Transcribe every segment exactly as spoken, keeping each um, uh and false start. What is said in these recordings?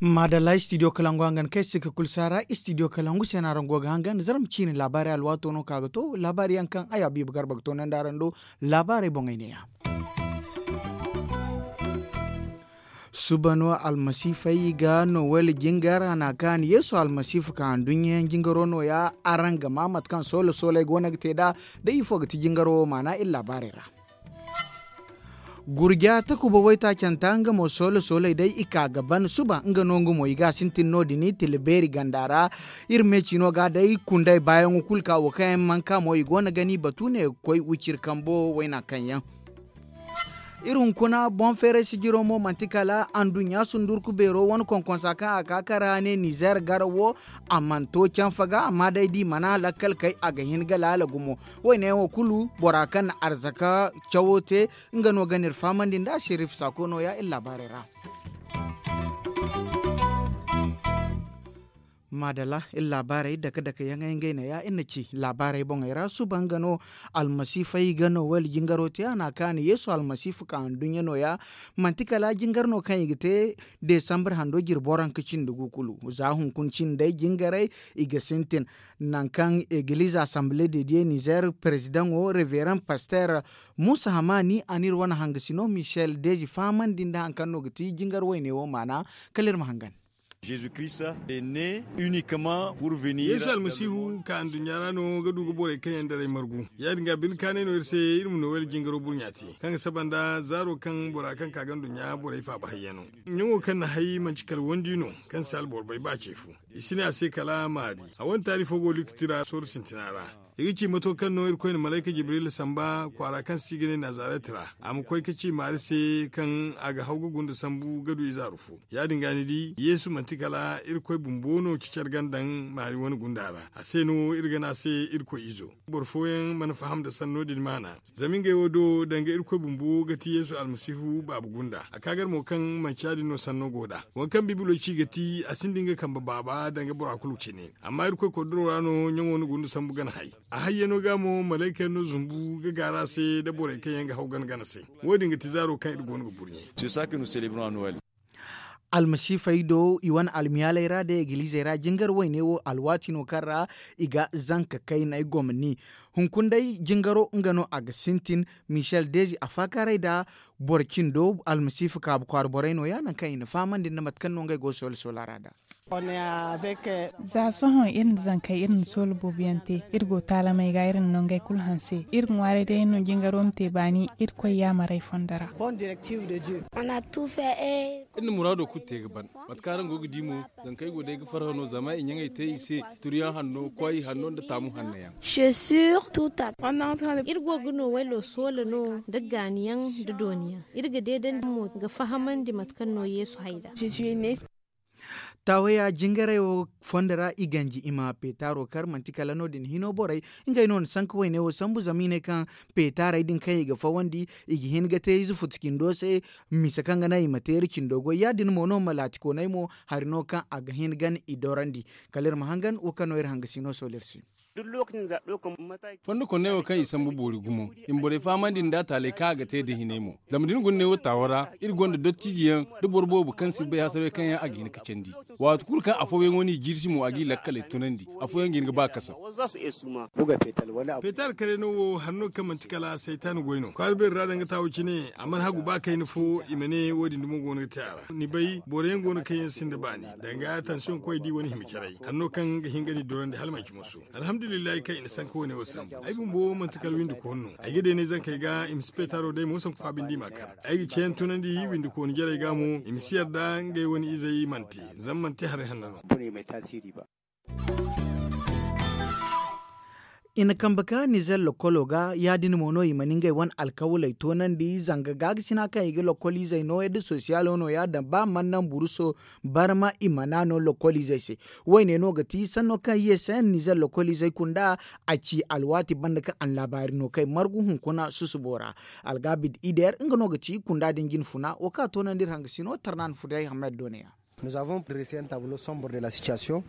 Maadalla istidiyo kalangu hangan kaŋ ay si ga kulu saara istidiyo kalangu se no araŋ go ga hangan zarma ciine laabaarey alwaato no ka ga to laabaari yaŋ kaŋ ay habiiba garba ga toonandi araŋ do. Laabaarey boŋey neeya. Suba no almasiifey ga nowel jingar a na kaani yeesu almasiifa ka handuɲɲayaŋ jingaro nooya araŋ ga maa mate kaŋ soola sooley go no ga te nd'a. Day ifo ga ti jingaro wo maana iri laabaarey ra. Gurja takuba waytaacanta nga mo soole sooley day i ka ga ban suba nga no nga mo i ga a sintin no- din tila beeri ganda ra. Iri me ciino ga day kundey baayaŋo kulu ka wo kaŋ yaŋ mana ka mo i go no ga ni batu ne ga koy wiciri kambo wayna kaŋ yaŋ. Iri hunkuna boŋ feeray sijiro mo manti kala anduɲɲa sundurku beero wane konkonsa kaŋ a ka kara ne nizeer garawo. A mana to canfa ga amma day da i mana lakkal kay a ga hin ga laala gumo. Wayne yaŋo kulu bora kaŋ na arzaka cawo te nga no ga n'iri fahamandi nd'a sherif saako nooya iri laabaarey ra. Maadalla iri laabaarey dake dake yaŋey ngey neeya iri na ci laabaarey boŋey ra suba nga no. Almasiifey ga nowel jingaro te a na kaani yeesu almasiifa ka anduɲɲa nooya. Manti kala jingar no kaŋ i ga te desambar hando jirbi waranka cindi gu kulu za hunkuna cindey jingarey. I ga sintin nangu kaŋ egiliize asambile de diye nizeer perezidaŋo reveran pasteer muusa hamaani a n'iri wane hangasino michel deezi fahamandi nda hari kaŋ no ga ti jingar wayne wo maana. Kala iri ma hangan. Yeesu almasihu ka nduɲɲa ra no ga du ga borey kaŋ yaŋ daray margu. Ya- din ga bine kaanay no iri se iri ma nowel jingaro burɲa te kaŋ ga saba nda zaaro kaŋ bora kaŋ ka ga nduɲɲa borey faaba hayyano. Ɲaŋo kaŋ na hay manti kala wandi no kaŋ si alboro bay ba ce fo. I si ne a se kala maari. A wane taali fo go likiti ra sooru sintina ra. I ga ci mato kaŋ no irkoy na malayka jibrila samba kwaara kaŋ se i ga ne nazaret ra. A ma koy ga ci maari se kaŋ a ga haw ga gunda sambu ga du izaaru fo. Ya- din ga ni di yeesu manti kala irkoy bumbo no cicar ga daŋ maari wane gunda ra a se no iri ga ne a se irkoy izo. Boro fooyaŋ mana faham nda sanno din maana. Zama ngey wo do danga irkoy bumbo ga ti yeesu almasihu baaba gunda a ka gar mo kaŋ manci ya- din no sanno go nd'a. Waŋ kaŋ bibilo ci ga ti a sinda nga kambe baaba danga bora kulu cine. Amma irkoy kordoro ra no ɲaŋo na gunda sambu gana hay. A hayyano ga mo malayka yaŋ no zumbu ga gaaru a se nda borey kaŋ yaŋ ga haw gana gana se. Wo- din ga ti zaaro kaŋ iri go no ga burɲe. Almasiifey do i wane almiyaaley ra day egiliizey ra jingar wayne wo alwaati no kaŋ ra i ga zanka kayney gomni. Hunkuna day jingaro nga no a ga sintin. Michel deezi a faakaaray nda boro cindo almasiifa kaabu kwaara borey no- ya nangu kaŋ i na fahamandi nda mate kaŋ no ngey go ga soole soola ra nd'a. Za sohõ iri na zankey iri na soola boobo yaŋ te. Iri go taalamey ga iri na nongey kulu hanse iri ga ŋwaaray day no jingaro ma te baani irkoy yaamarey fondo ra. Iri na muraado kulu te ga ban. Mate kaŋ araŋ go ga di mo, zankey go day ga farhã no zama i ɲaŋey te i se. Turuyaŋ hanno kwaay hanno nda taamu hanno yaŋ. Iri go ga no waylo soola no nda gaani yaŋ nda dooni yaŋ. Iri ga deedandi mo ga fahamandi mate kaŋ no yeesu hay nd'a. Taawaya jingaray wo fondo ra i ganji i ma peetaaro kar manti kala no- din hino borey. Ngey no na sanka wayne wo sambu zama i ne kaŋ peetaarey din kaŋ i ga fawandi i ga hin ga te ize futu cindo se. Mise kaŋ ga naŋ i ma teeri cindo goy ya- din mo no ma laatikooney mo hari no kaŋ a ga hin gan i dorandi. Kala iri ma hangan wo kaŋ no iri hangasino sool'iri se. Fondo konney wo kaŋ i sambu boori gumo i ma borey fahamandi nda taaley kaŋ a ga te da hinay mo. Zama da ni guna ne wo taawo ra iri gonda dottijiyaŋ da boro boobo kaŋ si bay hasarey kaŋ yaŋ a ga hin ga candi. Waati kulu kaŋ afooyaŋo n'i jiirsi mo a g'i lakkaley tunandi. Afooyaŋ ga hin ga ba kasa. Peetaari kare no wo hari no kaŋ manti kala saytaani goy no kwaara beeri ra danga taawo cine a mana hagu ba kayna fo i ma ne wo- din dumo go no ga te a ra ni bay boro yaŋ go no kaŋ yaŋ sinda baani danga tansiyoŋ koy di wane hima caray hari no kaŋ ga hin ga ni dorandi hala manci moso. Alhamdulillahi kaŋ i na sanka wane wo sambu ay bumbo manti kala windi koonu no. Ay ga deenay zankey ga i ma si peetaaro day mo sanku faabindi ma kar. Ay ga ceeyaŋ tunandi windi koonu jarey ga mo i ma si yarda ngey wane izey mana te. Zama mana te haray hanno no. I na kambe ka nizer lokolo ga ya- din mo no i mana ngey wane alkawaley toonandi zanga gaakasina kaŋ i ga lokoliizey nooya nda sosiyalo nooya daŋ ba mana naŋ buruso barma i mana no lokoliizey se. Wayne no ga ti sanno kaŋ ye se nizer lokoliizey kunda a ci alwaati banda kaŋ a na laabaari no kay margu hunkuna susubo ra. Algaabid ider nga no ga ci kunda din jinfuna wo kaŋ a toonandi iri hangasino tarna na fudey hamed doneya.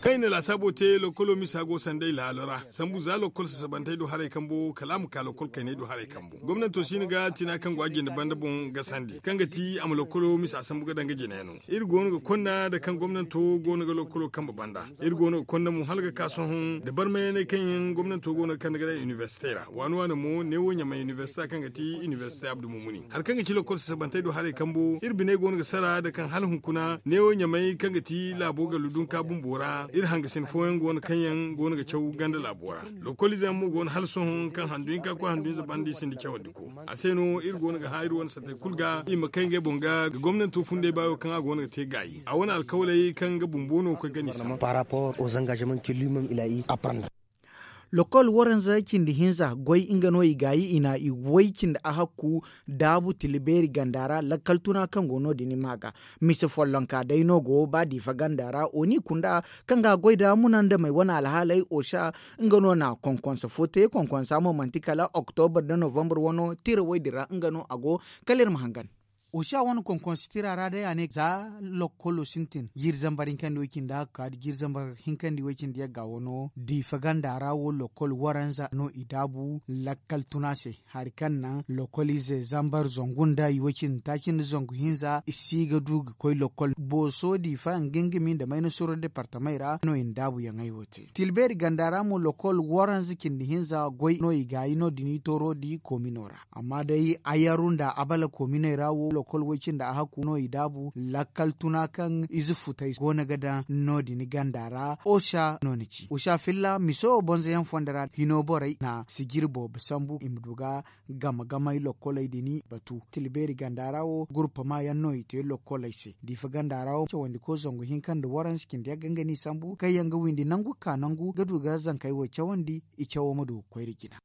Kaŋ i na laasaabo te lokkolo misa go sanday laalo ra sambu za lokkol sasabantey do haray kambo kala a ma ka lokkol kayney do haray kambo. Gomnanto si ni ga tina kaŋ go a jinde banda boŋ gasandi kaŋ ga ti a ma lokkolo misa sambu ga daŋ ga jine no. Iri go no ga konna nda kaŋ gomnanto go no ga lokkolo kambe banda. Iri go no ga konna mo hala ga ka sohõ nda barmayaney kaŋ yaŋ gomnanto go no ga kande ga daŋ inibersite ra waani waani mo neewo ɲamay inibersita kaŋ ga ti inibersite abdu mumuni hari kaŋ ga ci lokkol sasabantey do haray kambo iri biney go no ga sara nda kaŋ hala hunkuna neewo ɲamay kaŋ ga ti laabo gallu dunka bumbo ra iri hangasin fooyaŋ go no kaŋ yaŋ go no ga caw ganda laabo ra. Lokkol ize yaŋ mo go no hala sohõ kaŋ handu hinka koy handu hinza banda i sinda cawandi ko. A se no iri go no ga hã iri wane santey kulu ga i ma kay ngey boŋ ga ga gomnanto funday baayo kaŋ a go no ga te gaayi a wane alkawaley kaŋ nga bumbo no ga koy gani sambu. Lokkol waranza cindi hinza goy nga no i gaayi i na i way cindi ahakku daabu tila beeri ganda ra lakkal tuna kaŋ go no- din i ma ga. Mise follonka day no go ba diifa ganda ra oni kunda kaŋ ga goy da munandamey wane alhaaley osa nga no na konkonsa fo te konkonsa mo manti kala oktobar nda novambar wano tira woy din ra nga no a go. Kala iri ma hangan. Osa wane konkonsa tira ra day a ne za lokkolo sintin jiiri zambar hinkandi way cindi a ga ka jiiri zambar hinkandi way cindi yagga wano diifa ganda ra wo lokkol waranza no i daabu lakkal tuna se. Hari kaŋ naŋ lokolize zambar zangu nda i way cindi taaci nda zangu hinza i si ga du ga koy lokol booso diifa nga nga mi nda mayna soro departamey ra no i na daabu yaŋey wo te tilbeeri ganda ra mo lokol waranza cindi hinza goy no i gaayi no- din i tooro di koomino ra. Amma day ayaru nda abala koominey ra wo lokol way cindi a hakku no i daabu lakkal tuna kaŋ ize futay go no ga daŋ no- din ganda ra osa no ni ci osa filla miso bonzoyaŋ fondo ra hino borey na sijiri boobo sambu i ma du ga game gamey lokkoley din batu tilbeeri ganda ra wo gurpama yaŋ no i te lokkoley se diifa ganda ra wo cawandi ko zangu hinka nda waranza cindi yagga nga n'i sambu kaŋ yaŋ ga windi nangu ga ka nangu ga du ga zankey wo cawandi i cawo ma du ga koy nda jina.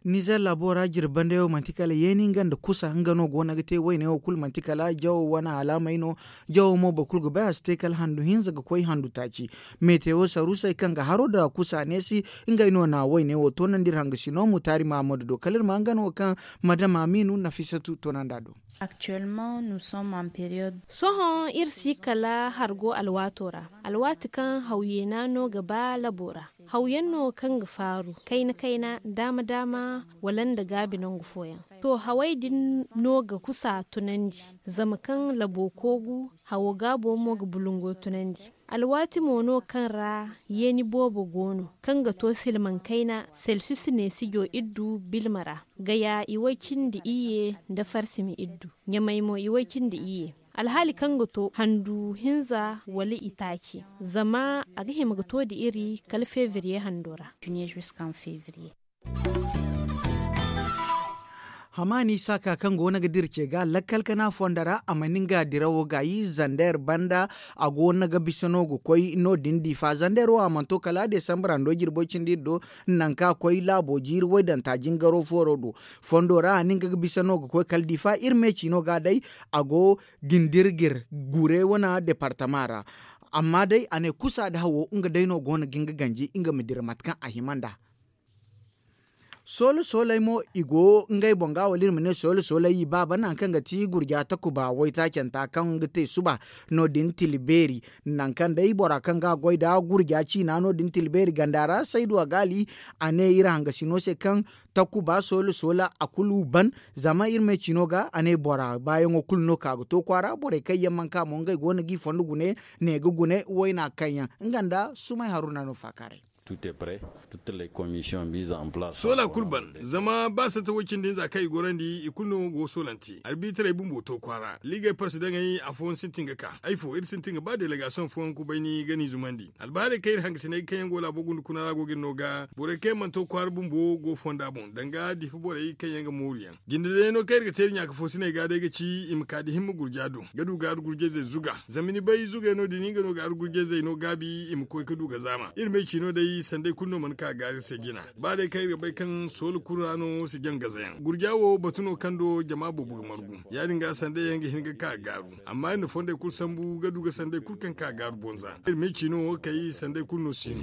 Nizer laabo ra jirbi banda yaŋ wo manti kala yeeni nga nda kusa nga no go no ga te wayne wo kulu manti kala jawo wane alaamey no. Jawo mo boro kulu ga bay a si te kala handu hinza ga koy handu taaci. Metewo saruusey kaŋ ga haro nda kusa neesi ngey no na wayne wo toonandi iri hangasino mutaari mahammadu do kala iri ma nga no kaŋ madama miinu nafisatu toonandi a do. Sohõ iri si kala hargo alwaato ra, alwaati kaŋ hawyeena no ga ba labo ra. Hawyaŋ no kaŋ ga faaru kayna kayna daama daama wala nda gaabi nangu fooyaŋ. To hawey din no ga kusa tunandi, zama kaŋ labo koogu hawo gaabo mo ga bulungo tunandi. Alwaati mo no kaŋ ra yeeni boobo go no kaŋ ga to silmaŋ kayna selsus neesijo iddu bilma ra. Gaya i way cindi iyye nda farsimi iddu ɲamay mo i way cindi iyye. Alhaali kaŋ ga to handu hinza wala itaaci zama a ga hima ga to nda iri kala febriye hando ra. Hamaani saaka kaŋ go no ga dira ce ga lakkal kana fondo ra a mana nga dirawo gaayi zander banda. A go no ga bisa no ga koy no- din diifa zander wo a mana to kala desambar hando jirbo cindi iri do. Nangu kaŋ a koy laabo jiiri waydanta jingaro fooro do fondo ra a na nga ga bisa no ga koy kala diifa iri me ciino ga day. A go gindirgir gure wane departama ra. Amma day a ne kusa nda hawo nga day no go no ga nga ganji nga ma dira mate kaŋ a hima nd'a. Soola soolay mo i go ngey boŋ ga wala iri ma ne soola soolay i baaba nangu kaŋ ga ti gurja takuba waytaacanta kaŋ ga te suba. No- din tila beeri nangu kaŋ day bora kaŋ ga a goy nda gurja ciina no- din tila beeri ganda ra saydu a gaali. A ne iri hangasino se kaŋ takuba soola soola a kulu ban. Zama iri me ciino ga a ne bora baayaŋo kulu no ka ga to kwaara borey kaŋ yaŋ mana ka mo ngey go no g'i fondo gune ne ga gune wayna kaŋ yaŋ nga nda sumay haruna no faakaaray. Soola kulu ban zama ba sata way cindi hinza kaŋ i gorandi i kulu no go soolante arbitaray bumbo to kwaara liigey parsi daŋey afooyaŋ sintin ga ka ay fo iri sintin ga ba delegasiyoŋ fooyaŋ kubayni ga n'i zumandi. Albahaarey kaŋ iri hangasiney kaŋ yaŋ go laabo gunda kuna ra go ga iri no ga borey kaŋ yaŋ mana to kwaara bumbo go fonda boŋ danga diifa borey kaŋ yaŋ ga mooru yaŋ. Jinde day no kaŋ iri ga te iri ɲaaka foosiney ga day ga ci i ma ka da himma gurja do ga du gaaru gurjayzey zuga. Zama ni bay zugey no- din nga no gaaru gurjayzey no gaabi i ma koy ga du ga zaama iri m'ay ci no day sanday kulu no mana ka gaari se jina. Ba day kaŋ iri ga bay kaŋ soola kulu ra no si jaŋ gazayaŋ gurja wo batu no kaŋ do jama boobo ga margu. Ya- din ga sanday yaŋ ga hin ga ka gaaru amma iri na fondey kulu sambu ga du ga sanday kulu kaŋ ka gaaru bonza iri m'ay ci no kay sanday kulu no si no.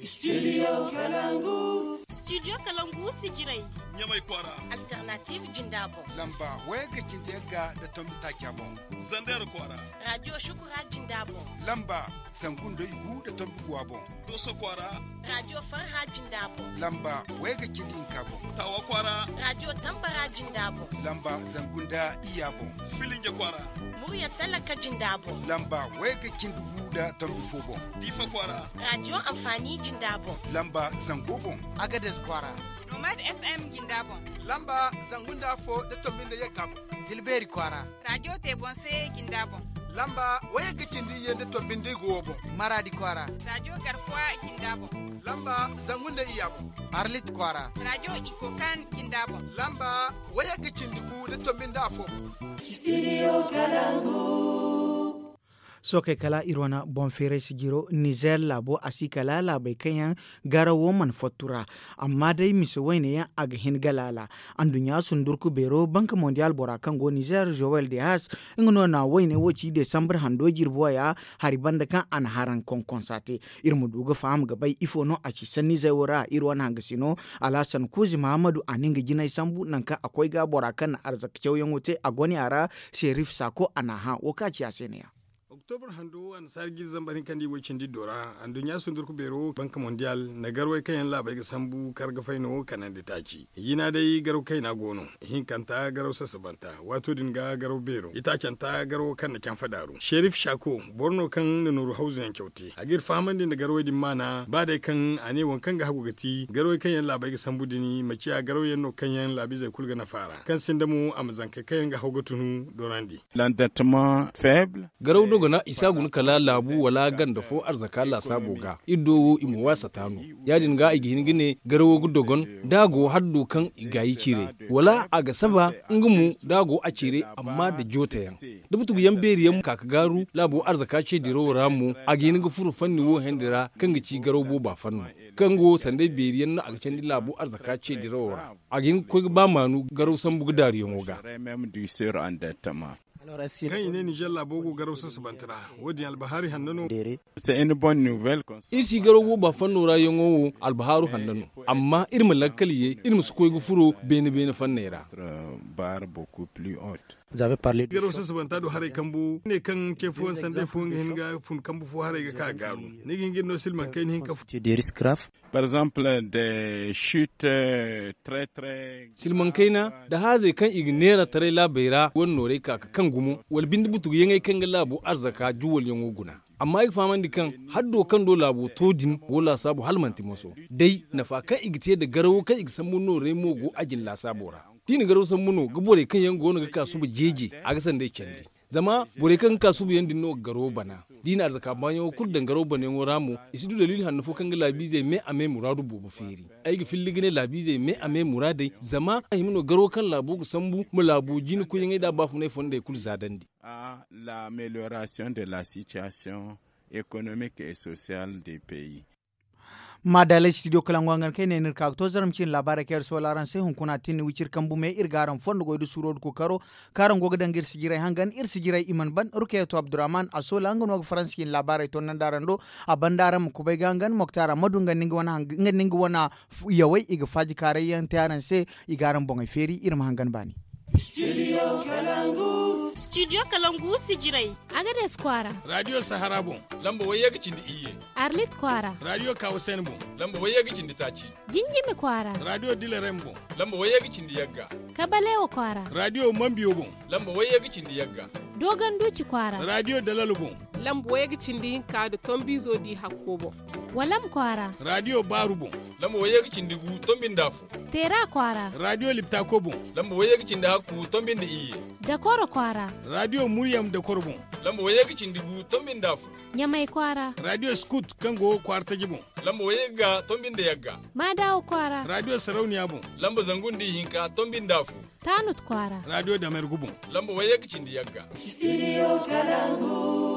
Studio kalangu. Studio kalangu sijirey. Ɲamay kwaara. Alternative jinda boŋ. Lamba wayagga cindi yagga nda tombi taaca boŋ. Zandeer kwaara. Radio shukura jinda boŋ. Lamba zangu nda igu nda tombi guwa boŋ. Dooso kwaara. Radio farha jinda boŋ. Lamba wayagga cindi hinka boŋ. Taawa kwaara. Radio tambara jinda boŋ. Lamba zangu nda iyya boŋ. Filinja kwaara. Murya talaka jinda boŋ. Lamba wayagga cindi gu nda tombi fo boŋ. Diifa kwaara. Radio anfaani jinda boŋ. Lamba zango boŋ. Agades kwaara. Nomad FM jinda boŋ. Lamba zangu nda afo nda tombi nda yagga boŋ. Tilbeeri kwaara. Radio te boŋ se jinda boŋ. Lamba wayagga cindi iyye nda tombi nda igu wo boŋ. Maraadi kwaara. Radio garkuwa jinda boŋ. Lamba zangu nda iyya boŋ. Arlit kwaara. Radio ikokan jinda boŋ. Lamba wayagga cindi gu nda tombi nda afo boŋ. Studio kalangu. Sookey kala iri wane boŋ feeray sijiro nizer laabo a si kala laabey kaŋ yaŋ garawo mana fattu ra. Amma day mise wayne yaŋ a ga hin ga laala. Anduɲɲa sundurku beero banka mondial bora kaŋ go nizer joel de has nga no na wayne wo ci desambar hando jirbi waya hari banda kaŋ a na haraŋ konkonsa te. Iri ma du ga faham ga bay ifo no a ci sanni zay wo ra iri wane hangasino. Alhasan kuuzi mahamadu a na nga jinay sambu nangu kaŋ a koy ga bora kaŋ na arzaka cawyaŋo te a gone a ra. Serif sako a na a hã wo kaŋ a ci a se ne ya. Oktobra hando annasaara jiiri zambar hinka nda i way cindi do ra anduɲɲa sundurku beero banka mondial na garwey kaŋ yaŋ laabey ga sambu karga fayno kanandi taaci. Jina day garaw kayna go no. Ihinkanta garaw sasabanta waato din ga garaw beero itaacanta garawo kaŋ na canfa daaru serif shako boro no kaŋ na nooru hawzu yaŋ caw te a ga iri fahamandi nda garawey din maana ba day kaŋ a ne waŋ kaŋ ga hagu ga ti garawey kaŋ yaŋ laabey ga sambu din ma ciya garawyaŋ no kaŋ yaŋ laabiizey kulu ga nafa a ra kaŋ sinda mo a ma zankey kaŋ yaŋ ga haw ga tunu dorandi. Garaw dogona i si a guna kala laabu wala ganda fo arzaka laasaabo ga iri do wo i ma waasa taano. Ya- din ga i ga hin ga ne garawo ga dogon da a go haddo kaŋ i gaayi ciiray wala a ga saba nga mo da a go a ciiray amma nda jootayaŋ da butuguyaŋ beeriyaŋ ka ga gaaru laabo arzaka ce dirawo ra mo a ga hin ga furo fanni wo handi ra kaŋ ga ci garaw booba fanno kaŋ go sanday beeriyaŋ no a ga candi laabo arzaka ce dirawo ra. A ga hin ga koy ga ba maanu garaw sambu ga daaruyaŋo ga. Kaŋ i ne nizer laabo go garaw sasabante ra wo- din albahaari hanno no. Iri si garaw booba fanno ra yaŋo wo albahaaru hanno no. Amma iri ma lakkal ye iri ma si koy ga furo beene beene fanney ra. Garaw sasabanta do haray kambu ne kaŋ ce fooyaŋ sanday fooyaŋ ga hin ga fun kambu fo haray ga ka gaaru ni ga hin ga iri no silmaŋ kayna hinka fo. Par exemple de chute très très. Silmaŋ kayna nda haazey kaŋ i ga neera taray laabey ra wane noorey ka ga kaŋ gumo wala binde butuguyaŋey kaŋ ga laabo arzaka juwalyaŋo guna. Amma ay ga fahamandi kaŋ haddo kaŋ do laabo to din go laasaabu hala manti moso day nafa kaŋ i ga te nda garawo kaŋ i ga sambu noorey mo go a jine laasaabo ra. Da i na garaw sambu no ga borey kaŋ yaŋ go no ga ka suba jeeje a ga sanday candi. Zama borey kaŋ ga ka suba yaŋ din no ga garawo bana da i na arzaka baayaŋo kulu daŋ garaw banayaŋo ra mo i si du daliili hanno fo kaŋ ga laabiizey me a me muraadu boobo feeri. Ay ga filli ga ne laabiizey me a me muraadey zama a hima no garawo kaŋ laabo ga sambu ma laabo jina koyyaŋey nda baafunay fondey kulu zaadandi. A l'amélioration de la situation économique et sociale des pays. Maadaalay studio kala nga hangan kaŋ ay ne ni iri ka ga to zarma ciine laabaarey kaŋ iri soola araŋ se hunkuna a tin ni wiciri kambu me iri ga araŋ fondo goy da suuro da kookaro kaŋ araŋ go ga daŋ ga iri sijiray hangan iri sijiray i mana ban rukayeto abdurrahman a soola nga no ga faransa ciine laabaarey tonnandi araŋ do. A banda araŋ ma kubay ga hangan moktar ammadu nga nda nga wane yawey i ga faaji kaaray yaŋ te araŋ se. I ga araŋ boŋey feeri iri ma hangan baani. Studio kalangu sijirey. Agades kwaara. Radio sahara boŋ. Lamba wayye ga cindi iyye. Arlit kwaara. Radio kawasen boŋ. Lamba wayye ga cindi taaci. Jinjimi kwaara. Radio dilerem boŋ. Lamba wayye ga cindi yagga. Kabalewa kwaara. Radio mambiyo boŋ. Lamba wayye ga cindi yagga. Dogon duci kwaara. Radio dalalo boŋ. Lamba wayye ga cindi hinka nda tombiizo di hakko boŋ. Walam kwaara. Radio baaru boŋ. Lamba wayye ga cindi gu tombi nda afo. Teera kwaara. Radio liptako boŋ. Lamba wayye ga cindi hakku tombi nda iyye. Dakoro kwaara. Radio muryam dakoro boŋ. Lamba wayye ga cindi gu tombi nda afo. Ɲamay kwaara. Radio scout kaŋ go kwaara taji boŋ. Lamba wayye ga tombi nda yagga. Maadawa kwaara. Radio sarauniya boŋ. Lamba zangu nda ihinka tombi nda afo. Taanut kwaara. Radio damergu boŋ. Lamba wayye ga cindi yagga. Studio kalangu.